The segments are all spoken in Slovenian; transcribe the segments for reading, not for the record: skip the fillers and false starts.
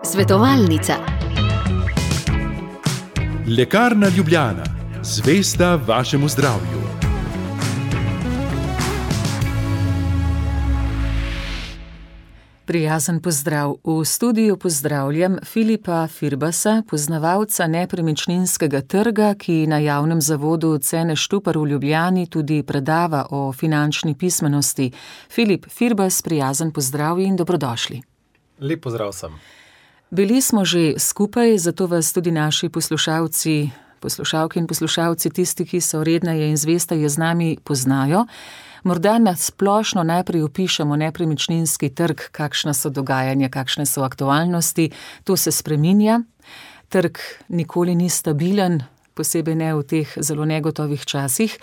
Svetovalnica. Lekarna Ljubljana, zvesta vašemu zdravju. Prijazen pozdrav. V studiu pozdravljam Filipa Firbasa, poznavalca nepremičninskega trga, ki na javnem zavodu Cene Štupar v Ljubljani tudi predava o finančni pismenosti. Filip Firbas, prijazen pozdrav in dobrodošli. Lep pozdrav sem. Bili smo že skupaj, zato vas tudi naši poslušalke in poslušalci, tisti, ki so redneje in zvesteje z nami, poznajo. Morda na splošno najprej opišemo nepremičninski trg, kakšna so dogajanja, kakšne so aktualnosti. To se spreminja. Trg nikoli ni stabilen, posebej ne v teh zelo negotovih časih.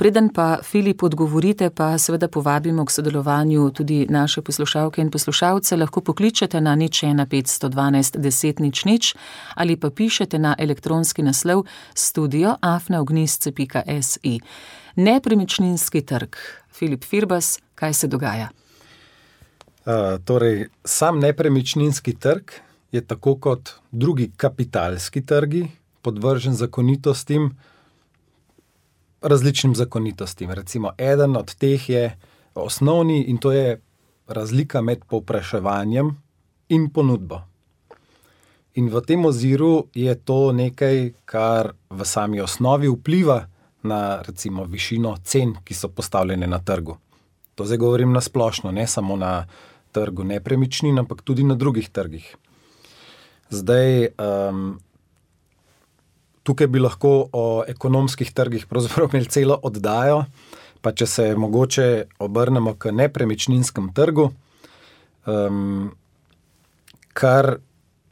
Preden pa, Filip, odgovorite, pa seveda povabimo k sodelovanju tudi naše poslušalke in poslušalce. Lahko pokličete na 015 512 10 00 ali pa pišete na elektronski naslov studio@ognisce.si. Nepremičninski trg. Filip Firbas, kaj se dogaja? Sam nepremičninski trg je tako kot drugi kapitalski trgi podvržen zakonitostim, različnim zakonitostim. Recimo, eden od teh je osnovni in to je razlika med povpraševanjem in ponudbo. In v tem oziru je to nekaj, kar v sami osnovi vpliva na recimo višino cen, ki so postavljene na trgu. To zdaj govorim na splošno, ne samo na trgu nepremičnin, ampak tudi na drugih trgih. Zdaj, tukaj bi lahko o ekonomskih trgih pravzaprav imeli celo oddajo, pa če se mogoče obrnemo k nepremičninskem trgu, kar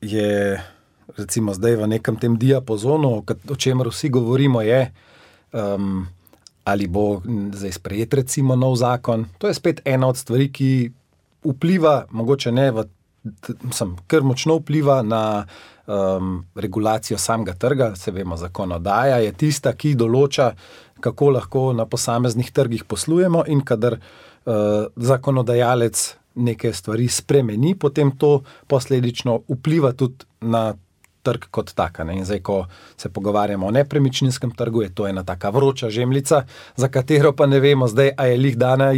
je recimo zdaj v nekem tem diapazonu, o čemer vsi govorimo, je, ali bo zdaj sprejet recimo nov zakon. To je spet ena od stvari, ki vpliva, mogoče ne, kar močno vpliva na regulacijo samega trga. Se vemo, zakonodaja je tista, ki določa, kako lahko na posameznih trgih poslujemo, in kadar zakonodajalec neke stvari spremeni, potem to posledično vpliva tudi na trg kot taka. In zdaj, ko se pogovarjamo o nepremičninskem trgu, je to ena taka vroča žemljica, za katero pa ne vemo zdaj, a je lih dana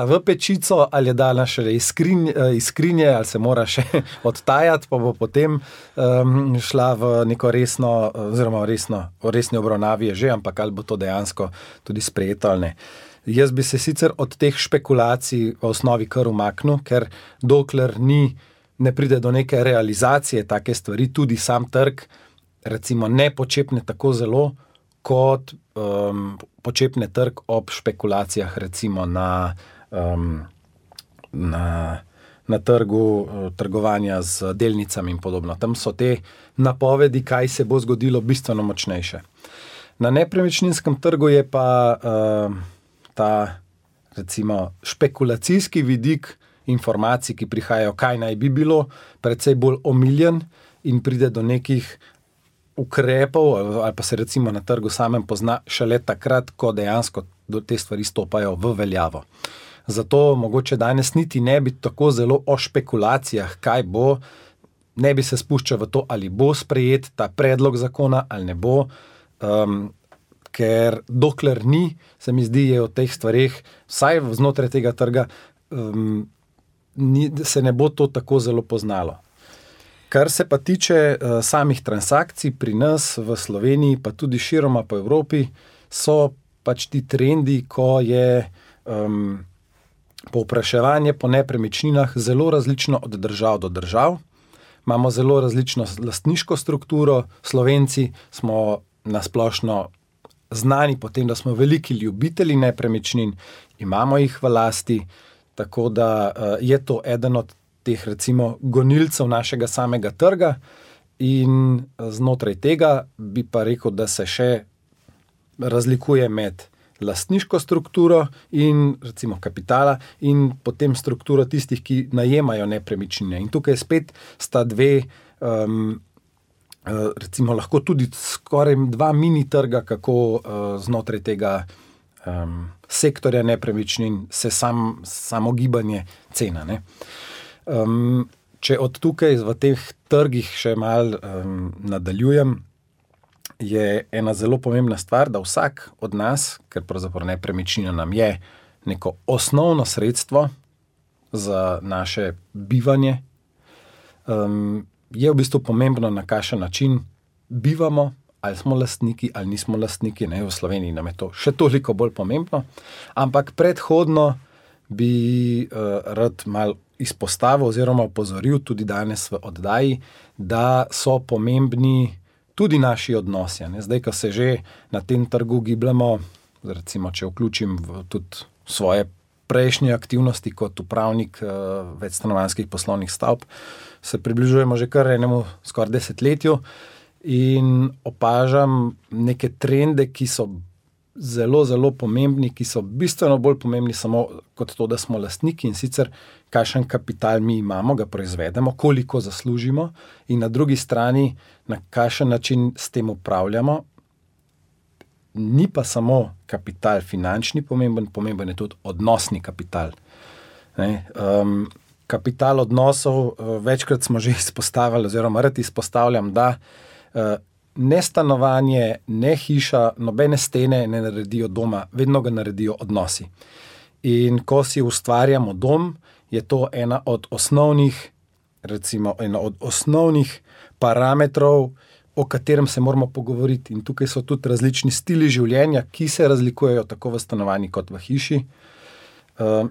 v pečico, ali je dana šele iz skrinje, ali se mora še odtajati, pa bo potem šla v neko resno, oziroma v resni obravnavi je že, ampak ali bo to dejansko tudi sprejeto ali ne. Jaz bi se sicer od teh špekulacij v osnovi kar umaknil, ker dokler ne pride do neke realizacije take stvari, tudi sam trg recimo ne počepne tako zelo, kot počepne trg ob špekulacijah recimo na trgu trgovanja z delnicami in podobno. Tam so te napovedi, kaj se bo zgodilo, bistveno močnejše. Na nepremičninskem trgu je pa ta recimo špekulacijski vidik informacij, ki prihajajo, kaj naj bi bilo, precej bolj omiljen in pride do nekih ukrepov, ali pa se recimo na trgu samem pozna šele takrat, ko dejansko te stvari stopajo v veljavo. Zato mogoče danes niti ne bi tako zelo o špekulacijah, kaj bo, ne bi se spuščal v to, ali bo sprejet ta predlog zakona ali ne bo, ker dokler ni, se mi zdi, je o teh stvareh, vsaj znotraj tega trga, se ne bo to tako zelo poznalo. Kar se pa tiče samih transakcij pri nas v Sloveniji, pa tudi široma po Evropi, so pač ti trendi, ko je povpraševanje po nepremičninah zelo različno od držav do držav. Imamo zelo različno lastniško strukturo. Slovenci smo na splošno znani po tem, da smo veliki ljubitelji nepremičnin, imamo jih v lasti, tako da je to eden od teh recimo gonilcev našega samega trga, in znotraj tega bi pa rekel, da se še razlikuje med lastniško strukturo in recimo kapitala in potem strukturo tistih, ki najemajo nepremičnine. In tukaj spet sta dve, recimo lahko tudi skoraj dva mini trga, kako znotraj tega sektorja nepremičnin se samo gibanje cena. Ne. Če od tukaj v teh trgih še malo nadaljujem, je ena zelo pomembna stvar, da vsak od nas, ker pravzaprav nepremičnina nam je neko osnovno sredstvo za naše bivanje, je v bistvu pomembno, na kakšen način bivamo, ali smo lastniki, ali nismo lastniki. Ne, v Sloveniji nam je to še toliko bolj pomembno, ampak predhodno bi rad malo izpostavil oziroma opozoril tudi danes v oddaji, da so pomembni tudi naši odnosi. Ne. Zdaj, ko se že na tem trgu gibljamo, recimo, če vključim tudi svoje prejšnje aktivnosti kot upravnik večstanovanjskih poslovnih stavb, se približujemo že kar enemu skoraj desetletju in opažam neke trende, ki so zelo, zelo pomembni, ki so bistveno bolj pomembni samo kot to, da smo lastniki, in sicer kakšen kapital mi imamo, ga proizvedemo, koliko zaslužimo in na drugi strani, na kakšen način s tem upravljamo. Ni pa samo kapital finančni pomemben je tudi odnosni kapital. Ne? Kapital odnosov, večkrat smo že izpostavili, oziroma rad izpostavljam, da ne stanovanje, ne hiša, nobene stene ne naredijo doma, vedno ga naredijo odnosi. In ko si ustvarjamo dom, je to ena od osnovnih parametrov, o katerem se moramo pogovoriti. In tukaj so tudi različni stili življenja, ki se razlikujejo tako v stanovanji kot v hiši.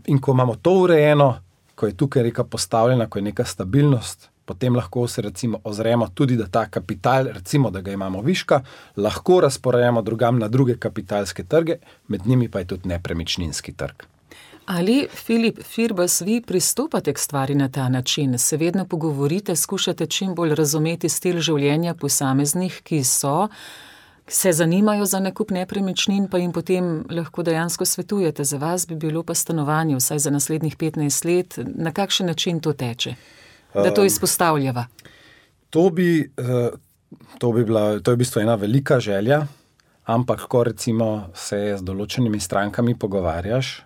In ko imamo to urejeno, ko je tukaj neka postavljena, ko je neka stabilnost, potem lahko se recimo ozremo tudi, da ta kapital, recimo, da ga imamo viška, lahko razporejamo drugam na druge kapitalske trge, med njimi pa je tudi nepremičninski trg. Ali, Filip Firbas, vi pristopate k stvari na ta način? Se vedno pogovorite, skušate čim bolj razumeti stil življenja posameznih, ki se zanimajo za nakup nepremičnin, pa jim potem lahko dejansko svetujete. Za vas bi bilo pa stanovanje vsaj za naslednjih 15 let. Na kakšen način to teče? Da to izpostavljava. To je v bistvu ena velika želja, ampak ko recimo se z določenimi strankami pogovarjaš,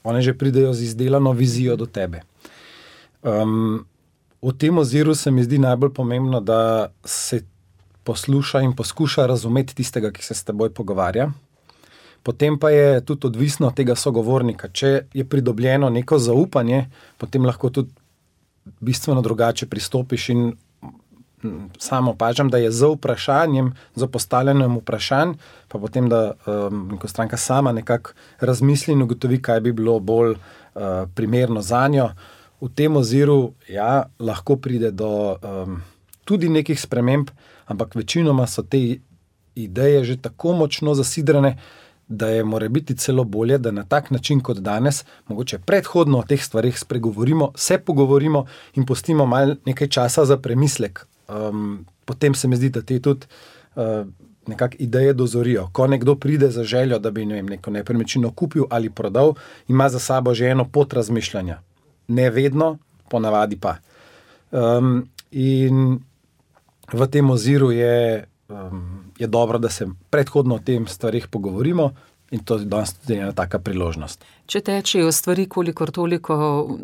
one že pridejo z izdelano vizijo do tebe. V tem oziru se mi zdi najbolj pomembno, da se posluša in poskuša razumeti tistega, ki se s teboj pogovarja. Potem pa je tudi odvisno od tega sogovornika. Če je pridobljeno neko zaupanje, potem lahko tudi bistveno drugače pristopiš in samo opažam, da je z vprašanjem, z postavljanjem vprašanj, pa potem, da neko stranka sama nekako razmisli in ugotovi, kaj bi bilo bolj primerno zanjo. V tem oziru, ja, lahko pride do tudi nekih sprememb, ampak večinoma so te ideje že tako močno zasidrane, da je morebiti celo bolje, da na tak način kot danes, mogoče predhodno o teh stvarih spregovorimo, se pogovorimo in pustimo malo nekaj časa za premislek. Potem se mi zdi, da te tudi nekako ideje dozorijo. Ko nekdo pride za željo, da bi neko nepremičnino kupil ali prodal, ima za sabo že eno pot razmišljanja. Ne vedno, ponavadi pa. In v tem oziru je dobro, da se predhodno o tem stvarih pogovorimo in to je danes tudi ena taka priložnost. Če tečejo stvari kolikor toliko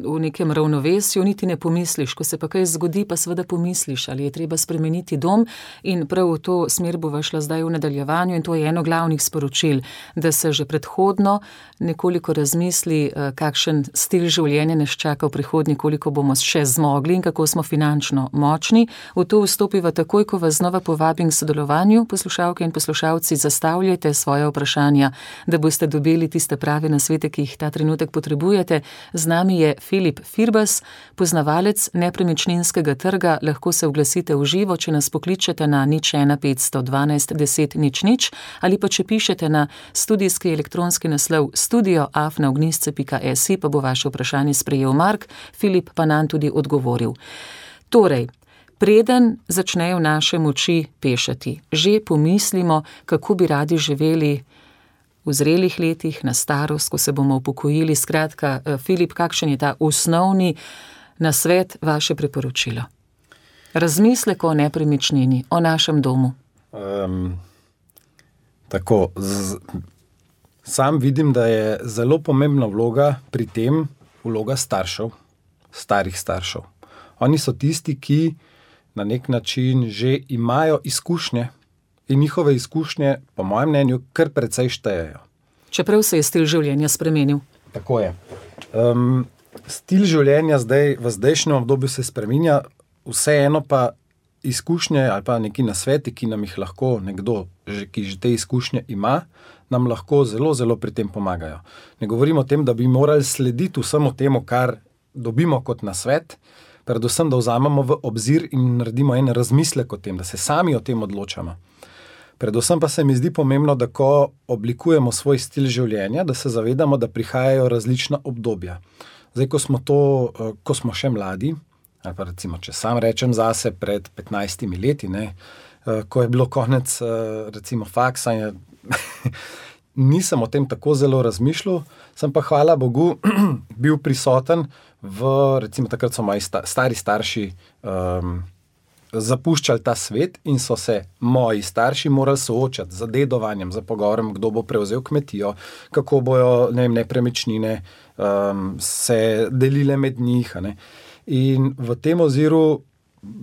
v nekem ravnovesju, niti ne pomisliš, ko se pa kaj zgodi, pa seveda pomisliš, ali je treba spremeniti dom, in prav v to smer bova šla zdaj v nadaljevanju in to je eno glavnih sporočil, da se že predhodno nekoliko razmisli, kakšen stil življenja nas čaka v prihodnje, koliko bomo še zmogli in kako smo finančno močni. V to vstopiva takoj, ko vas znova povabim k sodelovanju. Poslušalke in poslušalci, zastavljajte svoje vprašanja, da boste dobili tiste prave nasvete, ki jih ta trenutek potrebujete. Z nami je Filip Firbas, poznavalec nepremičninskega trga. Lahko se oglasite v živo, če nas pokličete na 01 512 10 00 ali pa če pišete na studijski elektronski naslov studio@ognisce.si, pa bo vaše vprašanje sprejel Mark, Filip pa nam tudi odgovoril. Torej, preden začnejo naše moči pešati, že pomislimo, kako bi radi živeli v zrelih letih, na starost, ko se bomo upokojili. Skratka, Filip, kakšen je ta osnovni nasvet, vaše priporočilo? Razmislek o nepremičnini, o našem domu. Sam vidim, da je zelo pomembna vloga pri tem vloga staršev, starih staršev. Oni so tisti, ki na nek način že imajo izkušnje in njihove izkušnje, po mojem mnenju, kar precej štejejo. Čeprav se je stil življenja spremenil. Tako je. Stil življenja zdaj, v zdajšnjem obdobju se spreminja, vseeno pa izkušnje ali pa neki nasveti, ki nam jih lahko nekdo, ki že te izkušnje ima, nam lahko zelo, zelo pri tem pomagajo. Ne govorimo o tem, da bi morali slediti vsemu temu, kar dobimo kot nasvet, predvsem, da vzamemo v obzir in naredimo en razmislek o tem, da se sami o tem odločamo. Predvsem pa se mi zdi pomembno, da ko oblikujemo svoj stil življenja, da se zavedamo, da prihajajo različna obdobja. Zdaj, ko smo še mladi, ali pa recimo, če sam rečem zase pred 15 leti, ko je bilo konec recimo faksa, nisem o tem tako zelo razmišljal, sem pa hvala Bogu bil prisoten recimo takrat so moji stari starši zapuščali ta svet in so se moji starši morali soočati z dedovanjem, z pogovorom, kdo bo prevzel kmetijo, kako bojo nepremičnine se delile med njih. In v tem oziru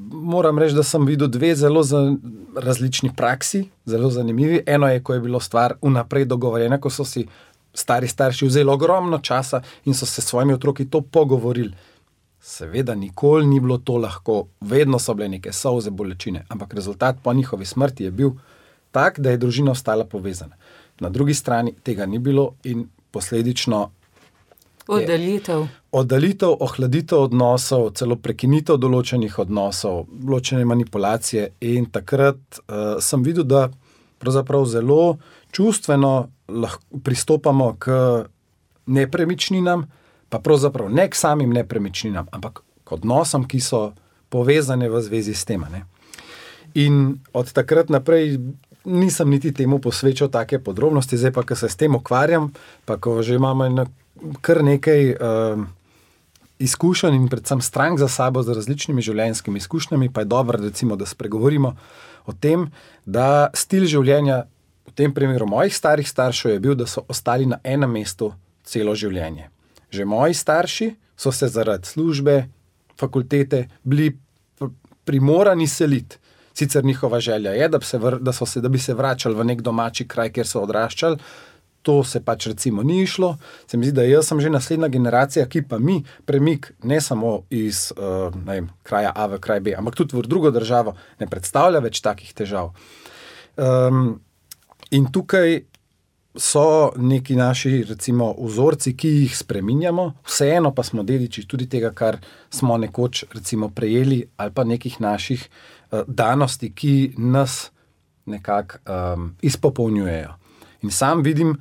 moram reči, da sem videl dve zelo različni praksi, zelo zanimivi. Eno je, ko je bilo stvar vnaprej dogovorjena, ko so si stari starši vzeli ogromno časa in so se s svojimi otroki to pogovorili. Seveda nikoli ni bilo to lahko, vedno so bile neke solze, bolečine, ampak rezultat po njihovi smrti je bil tak, da je družina ostala povezana. Na drugi strani tega ni bilo in posledično Oddalitev, ohladitev odnosov, celo prekinitev določenih odnosov, določene manipulacije in takrat sem videl, da pravzaprav zelo čustveno pristopamo k nepremičninam, pa pravzaprav ne k samim nepremičninam, ampak k odnosom, ki so povezane v zvezi s tem. In od takrat naprej nisem niti temu posvečal take podrobnosti, zdaj pa, ko se s tem ukvarjam, pa ko že imamo kar nekaj izkušenj in predvsem strank za sabo z različnimi življenjskimi izkušnjami, pa je dobro, recimo, da spregovorimo o tem, da stil življenja v tem primeru mojih starih staršev je bil, da so ostali na enem mestu celo življenje. Že moji starši so se zaradi službe, fakultete bili primorani seliti. Sicer njihova želja je, da bi se vračali v nek domači kraj, kjer so odraščali. To se pač recimo ni išlo. Se mi zdi, da jaz sem že naslednja generacija, ki pa mi premik ne samo iz kraja A v kraj B, ampak tudi v drugo državo ne predstavlja več takih težav. In tukaj so neki naši recimo vzorci, ki jih spreminjamo, vseeno pa smo dediči tudi tega, kar smo nekoč recimo prejeli, ali pa nekih naših danosti, ki nas nekako izpopolnjujejo. In sam vidim,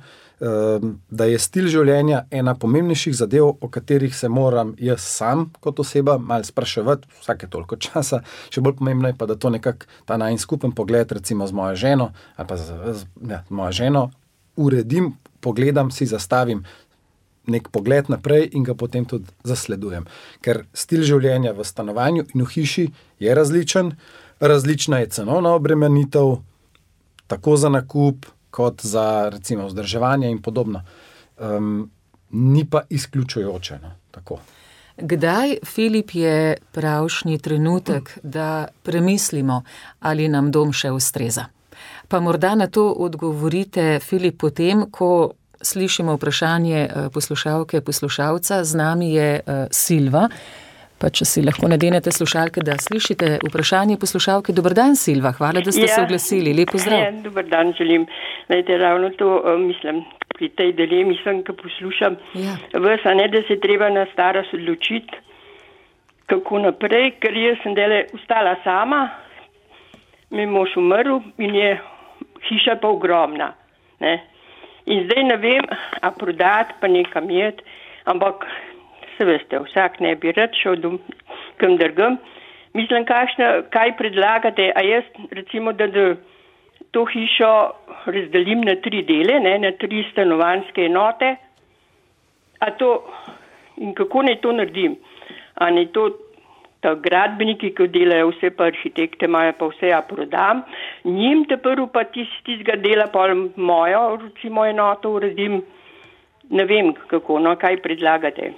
da je stil življenja ena pomembnejših zadev, o katerih se moram jaz sam kot oseba malo spraševati vsake toliko časa. Še bolj pomembno je pa, da to nekako ta najin skupen pogled recimo z mojo ženo, ali pa z mojo ženo uredim, pogledam, si zastavim nek pogled naprej in ga potem tudi zasledujem. Ker stil življenja v stanovanju in v hiši je različen, različna je cenovna obremenitev, tako za nakup, kot za recimo vzdrževanje in podobno. Ni pa izključujoče. Tako. Kdaj, Filip, je pravšnji trenutek, da premislimo, ali nam dom še ustreza? Pa morda na to odgovorite, Filip, potem, ko slišimo vprašanje poslušalke, poslušalca. Z nami je Silva. Pa če si lahko nadenete slušalke, da slišite vprašanje poslušalke. Dober dan, Silva, hvala, da ste se oglasili. Lep pozdrav. Ja, dober dan želim. Najte, ravno to mislim, pri tej dilemi sem, ko poslušam. Ja. Da se treba na starost odločiti, kako naprej, ker jaz sem ostala sama, mi mož umrl in je hiša pa ogromna. Ne? In zdaj ne vem, a prodati pa nekam jeti, ampak se veste, vsak ne bi rad šel kam drugam. Mislim, kaj predlagate, a jaz recimo, da to hišo razdelim na 3 dele, na 3 stanovanjske enote, in kako naj to naredim? A naj to ta gradbeniki, ki delajo vse pa arhitekte, imajo pa vse, ja prodam, njim te prvo pa tistega dela pa mojo, recimo enoto uredim, ne vem kako, no, kaj predlagate.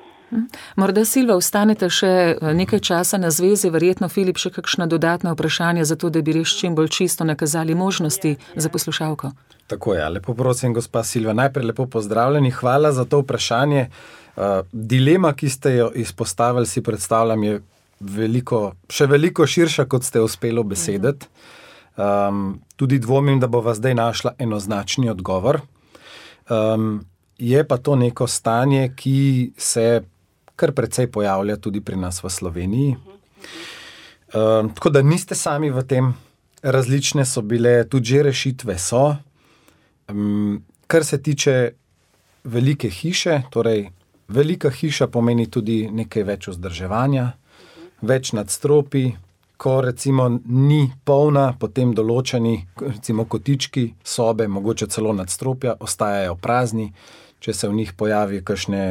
Morda, Silva, ostanete še nekaj časa na zvezi, verjetno, Filip, še kakšna dodatna vprašanja za to, da bi res čim bolj čisto nakazali možnosti za poslušalko. Tako je, lepo prosim, gospa Silva, najprej lepo pozdravljeni, hvala za to vprašanje. Dilema, ki ste jo izpostavili, si predstavljam, je še veliko širša, kot ste uspeli besediti. Tudi dvomim, da bova zdaj našla enoznačni odgovor. Je pa to neko stanje, ki se kar precej pojavlja tudi pri nas v Sloveniji. Tako da niste sami v tem, različne so bile, tudi že rešitve so. Kar se tiče velike hiše, torej velika hiša pomeni tudi nekaj več vzdrževanja, več nadstropij, ko recimo ni polna, potem določeni recimo kotički, sobe, mogoče celo nadstropja, ostajajo prazni, če se v njih pojavi kakšne,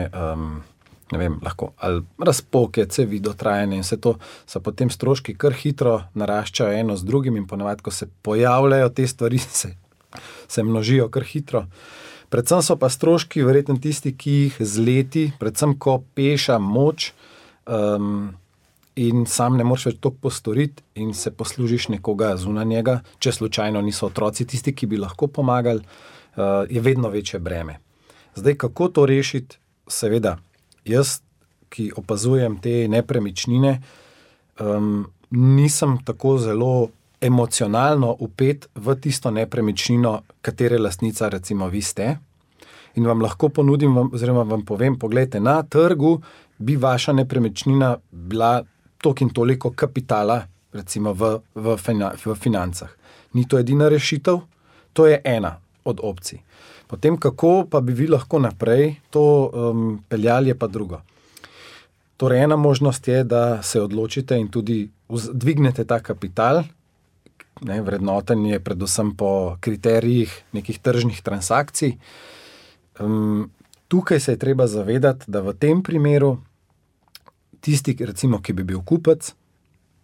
ne vem, lahko ali razpoke, cevi, dotrajanje in vse to, so potem stroški kar hitro naraščajo eno z drugim in ponavadi, ko se pojavljajo te stvari, se množijo kar hitro. Predvsem so pa stroški verjetno tisti, ki jih z leti, predvsem ko peša moč, in sam ne moreš več toliko postoriti in se poslužiš nekoga zunanjega, če slučajno niso otroci tisti, ki bi lahko pomagali, je vedno večje breme. Zdaj, kako to rešiti? Seveda, jaz, ki opazujem te nepremičnine, nisem tako zelo emocionalno vpet v tisto nepremičnino, katere lastnica recimo vi ste, in vam lahko ponudim, oziroma vam povem, poglejte, na trgu bi vaša nepremičnina bila toliko in toliko kapitala, recimo v financah. Ni to edina rešitev, to je ena od opcij. Potem, kako pa bi vi lahko naprej to peljali, je pa drugo. Torej, ena možnost je, da se odločite in tudi dvignete ta kapital, vrednoten je predvsem po kriterijih nekih tržnih transakcij. Tukaj se je treba zavedati, da v tem primeru tisti, recimo, ki bi bil kupec,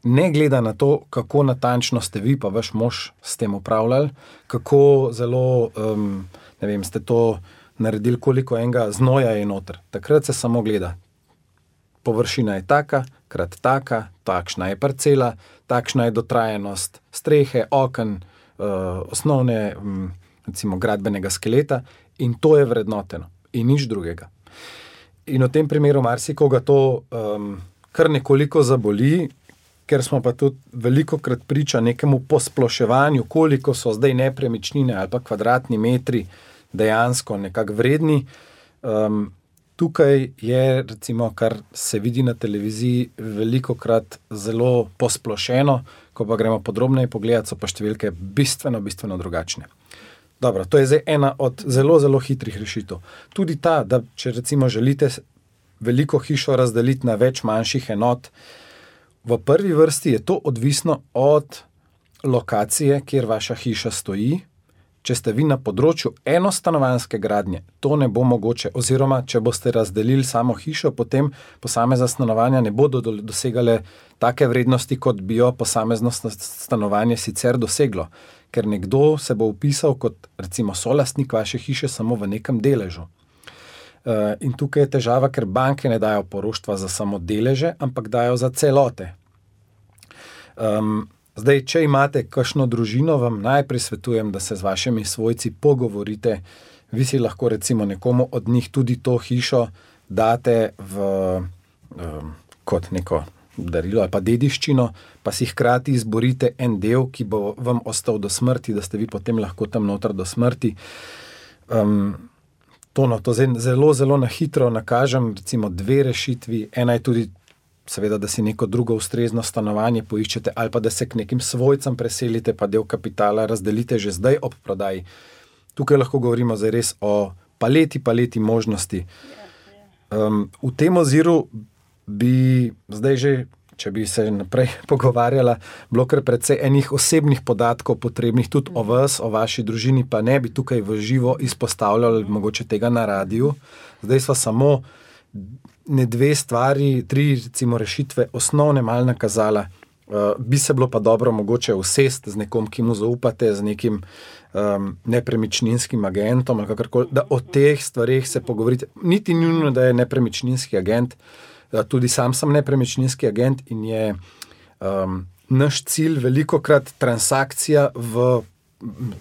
ne gleda na to, kako natančno ste vi pa vaš mož s tem upravljali, kako zelo, ne vem, ste to naredili, koliko enega znoja je noter. Takrat se samo gleda. Površina je taka, krat taka, takšna je parcela, takšna je dotrajanost strehe, oken, osnovne, recimo, gradbenega skeleta in to je vrednoteno in nič drugega. In v tem primeru marsikoga to kar nekoliko zaboli, ker smo pa tudi velikokrat priča nekemu posploševanju, koliko so zdaj nepremičnine ali pa kvadratni metri dejansko nekako vredni. Tukaj je, recimo, kar se vidi na televiziji, velikokrat zelo posplošeno, ko pa gremo podrobneje pogledati, so pa številke bistveno drugačne. Dobro, to je zdaj ena od zelo, zelo hitrih rešitev. Tudi ta, da če recimo želite veliko hišo razdeliti na več manjših enot, v prvi vrsti je to odvisno od lokacije, kjer vaša hiša stoji. Če ste vi na področju enostanovanjske gradnje, to ne bo mogoče, oziroma če boste razdelili samo hišo, potem posamezna stanovanja ne bodo dosegale take vrednosti, kot bi jo posamezno stanovanje sicer doseglo, ker nekdo se bo vpisal kot recimo solastnik vaše hiše samo v nekem deležu. In tukaj je težava, ker banke ne dajo poroštva za samo deleže, ampak dajo za celote. Zdaj, če imate kakšno družino, vam najprej svetujem, da se z vašimi svojci pogovorite. Vi si lahko recimo nekomu od njih tudi to hišo date kot neko darilo ali pa dediščino, pa si hkrati izborite en del, ki bo vam ostal do smrti, da ste vi potem lahko tam noter do smrti. To zelo, zelo na hitro nakažem, recimo 2 rešitvi. Ena je tudi seveda, da si neko drugo ustrezno stanovanje poiščete ali pa da se k nekim svojcem preselite, pa del kapitala razdelite že zdaj ob prodaji. Tukaj lahko govorimo zdaj res o paleti možnosti. V tem oziru bi zdaj že, če bi se naprej pogovarjala, bilo kar precej enih osebnih podatkov potrebnih tudi o vas, o vaši družini, pa ne bi tukaj v živo izpostavljali mogoče tega na radiju. Zdaj sva samo dve stvari, 3 recimo rešitve osnovne mal nakazala. Bi se bilo pa dobro mogoče usesti z nekom, ki mu zaupate, z nekim nepremičninskim agentom ali kakorkoli, da o teh stvarih se pogovorite. Niti nujno, da je nepremičninski agent, tudi sam sem nepremičninski agent in je naš cilj velikokrat transakcija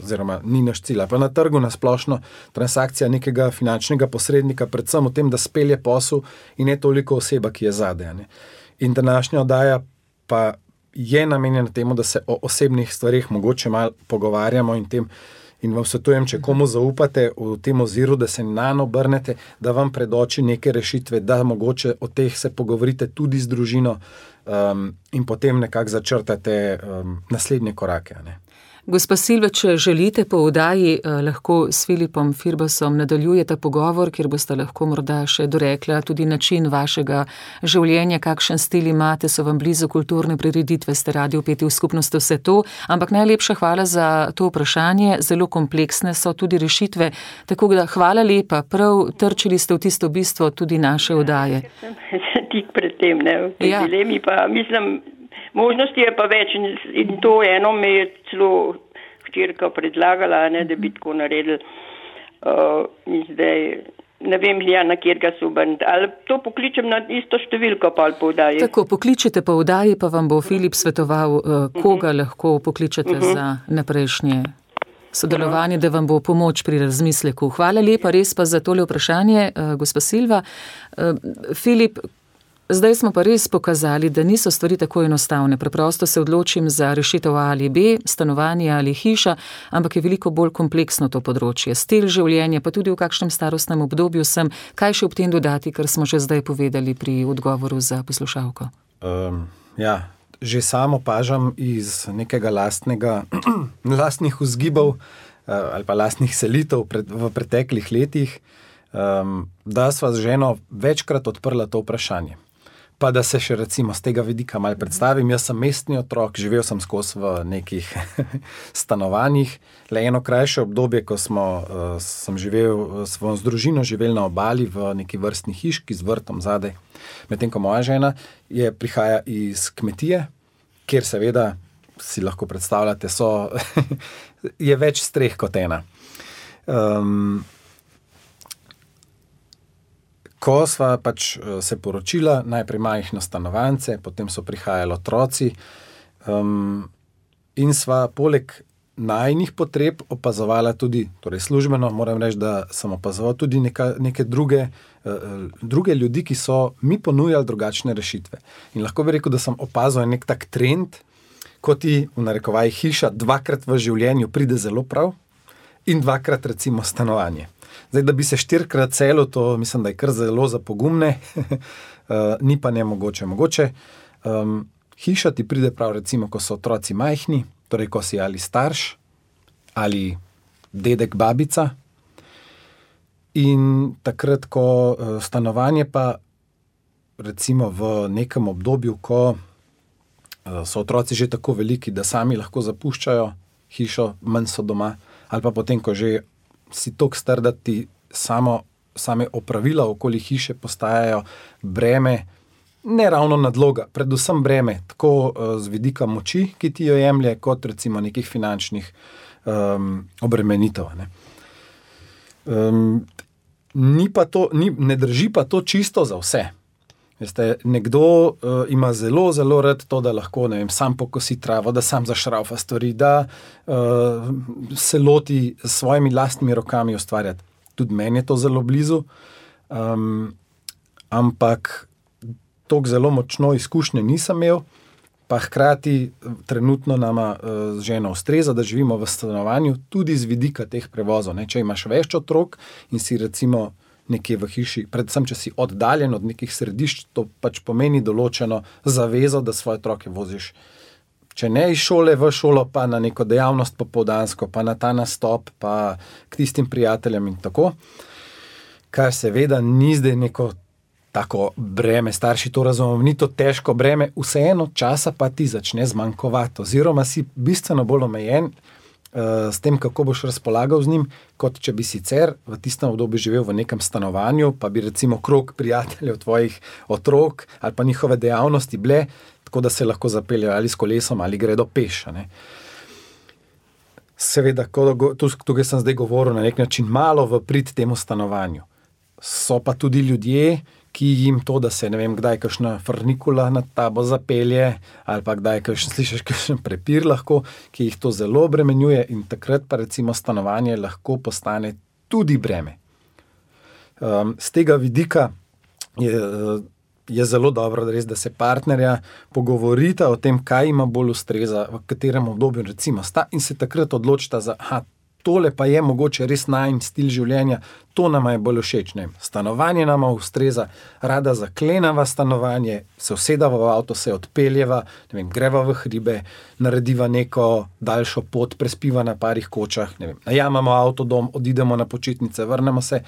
oziroma ni naš cilj, pa na trgu nasplošno transakcija nekega finančnega posrednika, predvsem v tem, da spelje posel in ne toliko oseba, ki je zadaj. In današnja oddaja pa je namenjena temu, da se o osebnih stvarih mogoče malo pogovarjamo in vam svetujem, če komu zaupate v tem oziru, da se nanj obrnete, da vam predoči neke rešitve, da mogoče o teh se pogovorite tudi z družino in potem nekako začrtate naslednje korake. Gospa Silva, če želite po oddaji, lahko s Filipom Firbasom nadaljujete pogovor, kjer boste lahko morda še dorekla tudi način vašega življenja, kakšen stil imate, so vam blizu kulturne prireditve, ste radi vpeti v skupnost, vse to, ampak najlepša hvala za to vprašanje, zelo kompleksne so tudi rešitve, tako da hvala lepa, prav trčili ste v tisto bistvo tudi naše oddaje. Tik pred tem, v tej dilemi pa mislim, možnosti je pa več in to eno me je celo hčerka predlagala, da bi tako naredili. In zdaj ne vem, na kjerga so obrniti. Ali to pokličem na isto številko pa ali po oddaji? Tako, pokličite po oddaji, pa vam bo Filip svetoval, koga lahko pokličete za naprejšnje sodelovanje, da vam bo pomoč pri razmisleku. Hvala lepa res pa za tole vprašanje, gospa Silva. Filip, zdaj smo pa res pokazali, da niso stvari tako enostavne. Preprosto se odločim za rešitev A ali B, stanovanje ali hiša, ampak je veliko bolj kompleksno to področje. Stil življenja, pa tudi v kakšnem starostnem obdobju sem. Kaj še ob tem dodati, kar smo že zdaj povedali pri odgovoru za poslušalko? Že samo opažam iz nekega lastnih vzgibov ali pa lastnih selitev v preteklih letih, da sva z ženo večkrat odprla to vprašanje. Pa da se še recimo z tega vidika malo predstavim, jaz sem mestni otrok, živel sem skozi v nekih stanovanjih, le eno krajše obdobje, ko sem živel s družino, živel na obali v neki vrstni hiški z vrtom zadaj, medtem ko moja žena prihaja iz kmetije, kjer seveda si lahko predstavljate, je več streh kot ena. Ko sva pač se poročila, najprej majhno stanovance, potem so prihajali otroci in sva poleg najinih potreb opazovala tudi, torej službeno, moram reči, da sem opazoval tudi neke druge ljudi, ki so mi ponujali drugačne rešitve. In lahko bi rekel, da sem opazil nek tak trend, ko ti, v narekovaji, hiša 2-krat v življenju pride zelo prav in 2-krat recimo stanovanje. Zdaj, da bi se 4-krat selil, to mislim, da je kar zelo za pogumne, ni pa nemogoče. Mogoče hiša ti pride prav recimo, ko so otroci majhni, torej ko si ali starš, ali dedek, babica. In takrat, ko stanovanje pa recimo v nekem obdobju, ko so otroci že tako veliki, da sami lahko zapuščajo hišo, manj so doma, ali pa potem, ko že si toliko star, da ti same opravila okoli hiše postajajo breme, ne ravno nadloga, predvsem breme, tako z vidika moči, ki ti jo jemlje, kot recimo nekih finančnih obremenitev. Ne drži pa to čisto za vse. Veste, nekdo ima zelo, zelo rad to, da lahko, sam pokosi travo, da sam zašraufa stvari, da se loti s svojimi lastnimi rokami ustvarjati. Tudi meni je to zelo blizu, ampak toliko zelo močno izkušnje nisem imel, pa hkrati trenutno nama z ženo ustreza, da živimo v stanovanju tudi z vidika teh prevozov. Če imaš več otrok in si recimo nekje v hiši, predvsem, če si oddaljen od nekih središč, to pač pomeni določeno zavezo, da svoje otroke voziš, če ne iz šole v šolo, pa na neko dejavnost popoldansko, pa na ta nastop, pa k tistim prijateljem in tako. Kar seveda ni zdaj neko tako breme, starši to razumemo, ni to težko breme, vseeno časa pa ti začne zmanjkovati, oziroma si bistveno bolj omejen s tem, kako boš razpolagal z njim, kot če bi sicer v tistem obdobju živel v nekem stanovanju, pa bi recimo krog prijateljev tvojih otrok ali pa njihove dejavnosti bile, tako da se lahko zapeljejo ali s kolesom ali gredo peš. Seveda, tukaj sem zdaj govoril na nek način malo v prid temu stanovanju. So pa tudi ljudje, ki jim to, da se, ne vem, kdaj kakšna frnikula nad tabo zapelje, ali pa kdaj slišiš kakšen prepir lahko, ki jih to zelo obremenjuje in takrat pa recimo stanovanje lahko postane tudi breme. Z tega vidika je zelo dobro, da se partnerja pogovorita o tem, kaj ima bolj ustreza, v katerem obdobju recimo sta in se takrat odločita za, tole pa je mogoče res najin stil življenja, to nama je bolj všeč. Stanovanje nama ustreza, rada zaklenava stanovanje, se usedava v avto, se odpeljeva, greva v hribe, narediva neko daljšo pot, prespiva na parih kočah, najamamo avtodom, odidemo na počitnice, vrnemo se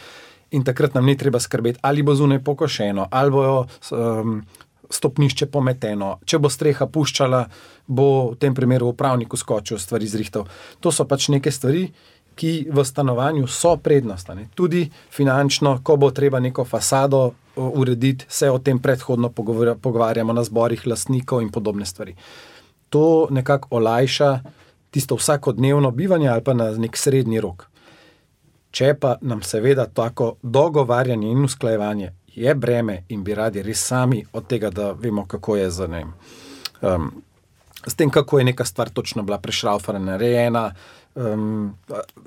in takrat nam ni treba skrbeti, ali bo zunaj pokošeno, ali bo stopnišče pometeno, če bo streha puščala, bo v tem primeru upravnik skočil, stvari zrihtal. To so pač neke stvari, ki v stanovanju so prednost. Tudi finančno, ko bo treba neko fasado urediti, se o tem predhodno pogovarjamo na zborih lastnikov in podobne stvari. To nekako olajša tisto vsakodnevno bivanje ali pa na nek srednji rok. Če pa nam seveda tako dogovarjanje in usklajevanje je breme in bi radi res sami od tega, da vemo, kako je s tem, kako je neka stvar točno bila prešraufana, narejena,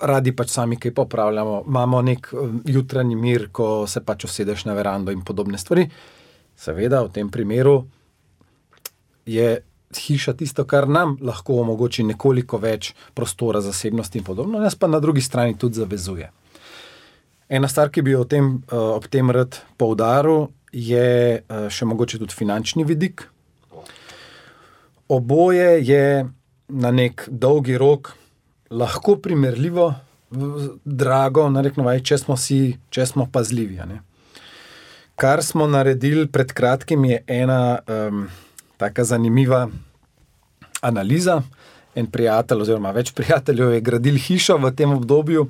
radi pač sami kaj popravljamo, imamo nek jutranji mir, ko se pač usedeš na verando in podobne stvari. Seveda, v tem primeru je hiša tisto, kar nam lahko omogoči nekoliko več prostora, zasebnosti in podobno, nas pa na drugi strani tudi zavezuje. Ena stvar, ki bi ob tem rad poudaril, je še mogoče tudi finančni vidik. Oboje je na nek dolgi rok lahko primerljivo drago, če smo pazljivi. Kar smo naredili pred kratkim je ena taka zanimiva analiza. En prijatelj oziroma več prijateljev je gradil hišo v tem obdobju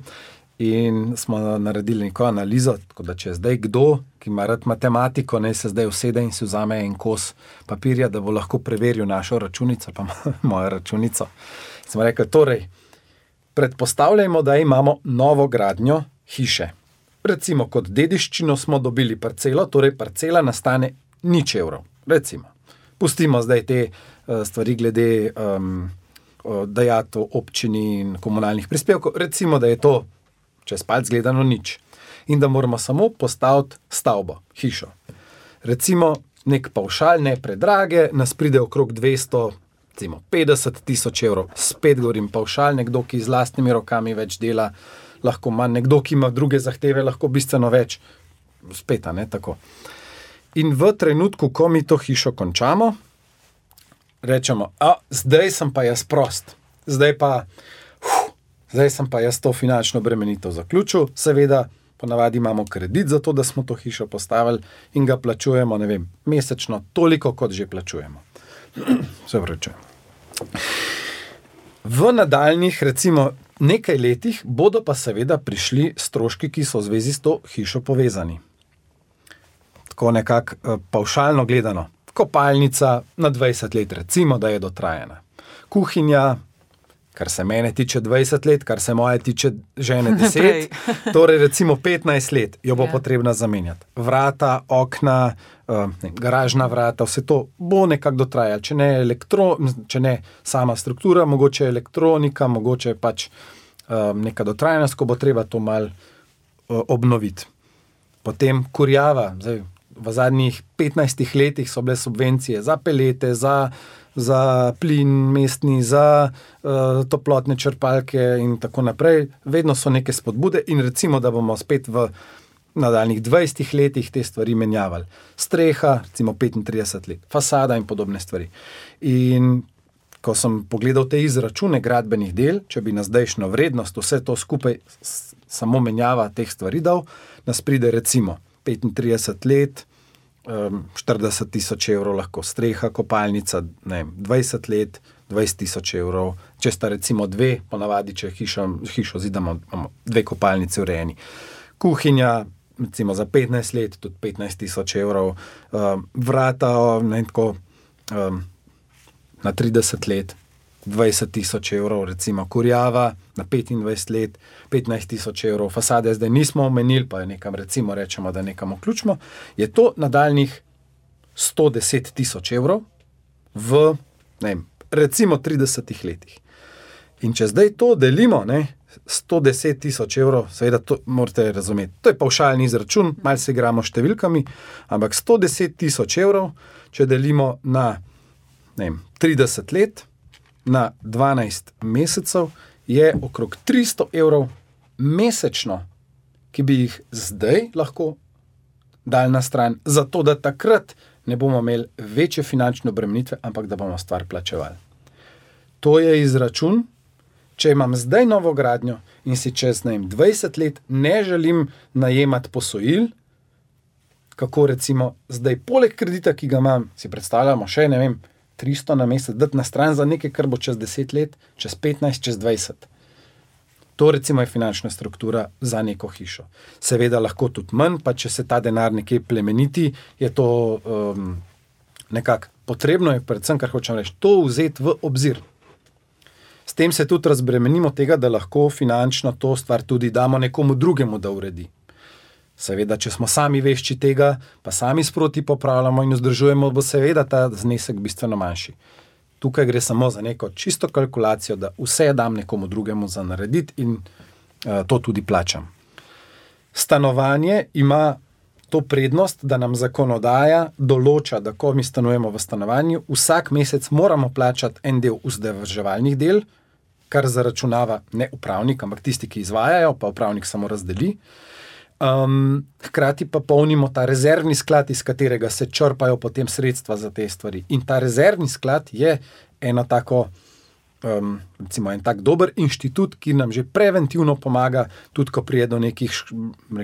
in smo naredili neko analizo, tako da če zdaj kdo, ki ima rad matematiko, ne se zdaj usede in si vzame en kos papirja, da bo lahko preveril našo računico, pa mojo računico. Smo rekli, torej, predpostavljajmo, da imamo novo gradnjo hiše. Recimo, kot dediščino smo dobili parcelo, torej parcela nastane 0 evrov. Recimo, pustimo zdaj te stvari glede dajatev občini in komunalnih prispevkov, recimo, da je to čez palc gledano 0. In da moramo samo postaviti stavbo, hišo. Recimo, nek pavšal, ne predrage, nas pride okrog 250 tisoč evrov. Spet govorim pavšal, nekdo, ki z lastnimi rokami več dela, lahko manj, nekdo, ki ima druge zahteve, lahko bistveno več. Spet, tako. In v trenutku, ko mi to hišo končamo, rečemo, zdaj sem pa jaz prost. Zdaj sem pa jaz to finančno bremenitev zaključil. Seveda, ponavadi imamo kredit za to, da smo to hišo postavili in ga plačujemo, mesečno toliko, kot že plačujemo. Se vračujem. V nadaljnjih, recimo, nekaj letih bodo pa seveda prišli stroški, ki so v zvezi s to hišo povezani. Tako nekako pavšalno gledano. Kopalnica na 20 let, recimo, da je dotrajana. Kuhinja, kar se mene tiče 20 let, kar se moje tiče žene 10, torej recimo 15 let jo bo potrebna zamenjati. Vrata, okna, garažna vrata, vse to bo nekako dotrajalo. Če ne sama struktura, mogoče elektronika, mogoče pač neka dotrajanost, ko bo treba to malo obnoviti. Potem kurjava. Zdaj, v zadnjih 15 letih so bile subvencije za pelete, za plin mestni, za toplotne črpalke in tako naprej. Vedno so neke spodbude in recimo, da bomo spet v nadaljnih 20 letih te stvari menjavali. Streha, recimo 35 let, fasada in podobne stvari. In ko sem pogledal te izračune gradbenih del, če bi na zdajšnjo vrednost vse to skupaj samo menjava teh stvari dal, nas pride recimo 35 let, 40 tisoč evrov lahko streha, kopalnica, 20 let, 20 tisoč evrov. Če sta recimo dve, ponavadi, če hišo zidamo, imamo dve kopalnice urejeni. Kuhinja, recimo za 15 let, tudi 15 tisoč evrov. Vrata, na 30 let, 20 tisoč evrov, recimo kurjava na 25 let, 15 tisoč evrov. Fasade zdaj nismo omenili, pa nekam recimo rečemo, da nekam vključimo. Je to nadaljnih 110 tisoč evrov v, recimo 30 letih. In če zdaj to delimo, 110 tisoč evrov, seveda to morate razumeti, to je pavšalni izračun, malo se igramo številkami, ampak 110 tisoč evrov, če delimo na 30 let, na 12 mesecev, je okrog 300 evrov mesečno, ki bi jih zdaj lahko dali na stran, zato da takrat ne bomo imeli večje finančne obremenitve, ampak da bomo stvar plačevali. To je izračun, če imam zdaj novo gradnjo in si čez 20 let ne želim najemati posojil, kako recimo zdaj poleg kredita, ki ga imam, si predstavljamo še, 300 na mesec, dati na stran za nekaj, kar bo čez 10 let, čez 15, čez 20. To recimo je finančna struktura za neko hišo. Seveda lahko tudi manj, pa če se ta denar nekje plemeniti, je to nekako potrebno, je predvsem, kar hočem reči, to vzeti v obzir. S tem se tudi razbremenimo tega, da lahko finančno to stvar tudi damo nekomu drugemu, da uredi. Seveda, če smo sami vešči tega, pa sami sproti popravljamo in vzdržujemo, bo seveda ta znesek bistveno manjši. Tukaj gre samo za neko čisto kalkulacijo, da vse dam nekomu drugemu za narediti in to tudi plačam. Stanovanje ima to prednost, da nam zakonodaja določa, da ko mi stanujemo v stanovanju, vsak mesec moramo plačati en del vzdrževalnih del, kar zaračunava ne upravnik, ampak tisti, ki izvajajo, pa upravnik samo razdeli. Hkrati pa polnimo ta rezervni sklad, iz katerega se črpajo potem sredstva za te stvari. In ta rezervni sklad je eno tako, recimo en tak dober inštitut, ki nam že preventivno pomaga, tudi ko prije do nekih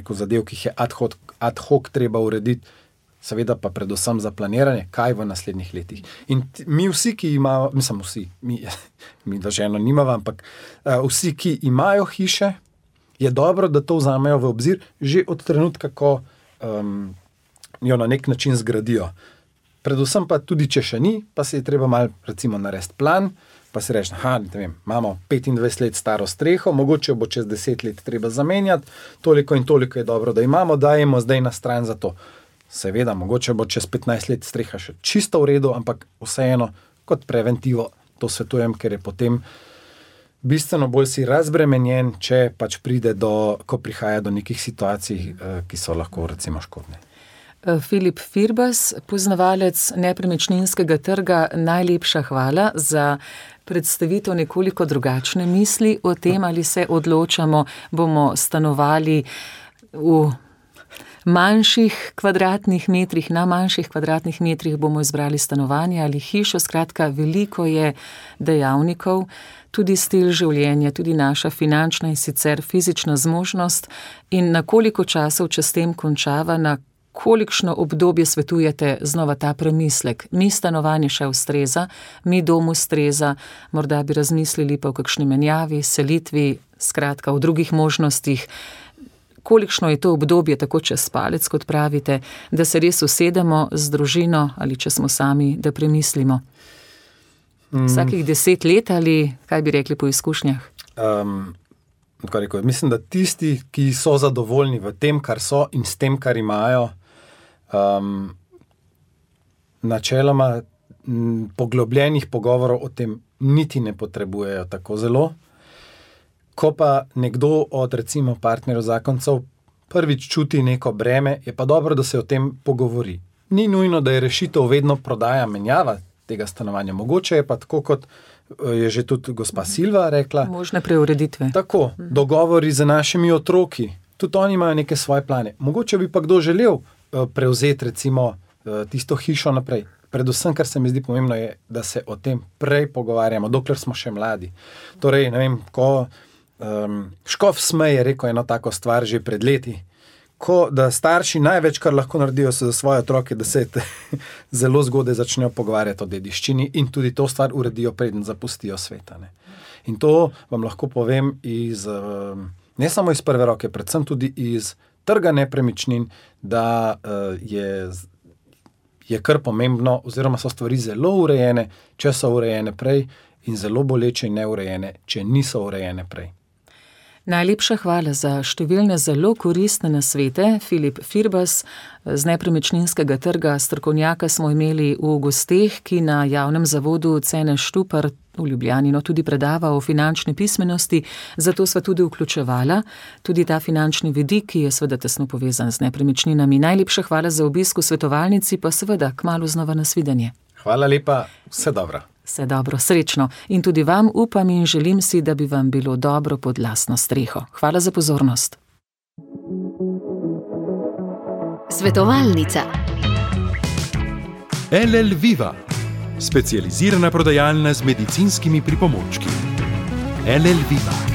zadev, ki jih je ad hoc treba urediti, seveda pa predvsem za planiranje, kaj v naslednjih letih. In mi vsi, ki imamo, mi da ženo nimava, ampak vsi, ki imajo hiše, je dobro, da to vzamejo v obzir že od trenutka, ko jo na nek način zgradijo. Predvsem pa tudi, če še ni, pa se je treba malo recimo narediti plan, pa si reči, imamo 25 let staro streho, mogoče bo čez 10 let treba zamenjati, toliko in toliko je dobro, da imamo, dajemo zdaj na stran za to. Seveda, mogoče bo čez 15 let streha še čisto v redu, ampak vseeno kot preventivo to svetujem, ker je potem bistveno bolj si razbremenjen, če pač ko prihaja do nekih situacij, ki so lahko recimo škodne. Filip Firbas, poznavalec nepremičninskega trga, najlepša hvala za predstavitev nekoliko drugačne misli o tem, ali se odločamo, bomo stanovali v manjših kvadratnih metrih, na manjših kvadratnih metrih bomo izbrali stanovanje ali hišo. Skratka, veliko je dejavnikov, tudi stil življenja, tudi naša finančna in sicer fizična zmožnost in na koliko časov, če s tem končava, na kolikšno obdobje svetujete znova ta premislek. Mi stanovanje še ustreza, mi dom ustreza, morda bi razmislili pa o kakšni menjavi, selitvi, skratka o drugih možnostih. Kolikšno je to obdobje, tako čez palec, kot pravite, da se res usedemo z družino ali če smo sami, da premislimo? Vsakih 10 let ali kaj bi rekli po izkušnjah? Mislim, da tisti, ki so zadovoljni v tem, kar so in s tem, kar imajo, načeloma poglobljenih pogovorov o tem niti ne potrebujejo tako zelo. Ko pa nekdo od recimo partnerjev zakoncev prvič čuti neko breme, je pa dobro, da se o tem pogovori. Ni nujno, da je rešitev vedno prodaja, menjava tega stanovanja. Mogoče je pa tako, kot je že tudi gospa Silva rekla. Možne preureditve. Tako, dogovori z našimi otroki. Tudi oni imajo neke svoje plane. Mogoče bi pa kdo želel prevzeti recimo tisto hišo naprej. Predvsem, kar se mi zdi pomembno, je, da se o tem prej pogovarjamo, dokler smo še mladi. Torej, ko Škof Smej je rekel eno tako stvar že pred leti, da starši največ, kar lahko naredijo za svoje otroke, da se zelo zgodaj začnejo pogovarjati o dediščini in tudi to stvar uredijo, preden zapustijo sveta. Ne. In to vam lahko povem ne samo iz prve roke, predvsem tudi iz trga nepremičnin, da je kar pomembno, oziroma so stvari zelo urejene, če so urejene prej, in zelo boleče in neurejene, če niso urejene prej. Najlepša hvala za številne zelo koristne nasvete. Filip Firbas z nepremičninskega trga, strokovnjaka smo imeli v gosteh, ki na javnem zavodu Cene Štupar v Ljubljani tudi predava o finančni pismenosti, zato sva tudi vključevala tudi ta finančni vidik, ki je seveda tesno povezan z nepremičninami. Najlepša hvala za obisk v svetovalnici, pa seveda kmalu znova nasvidenje. Hvala lepa, vse dobro. Vse dobro, srečno. In tudi vam upam in želim si, da bi vam bilo dobro pod lastno streho. Hvala za pozornost. Svetovalnica. LL Viva, specializirana prodajalna z medicinskimi pripomočki. LL Viva.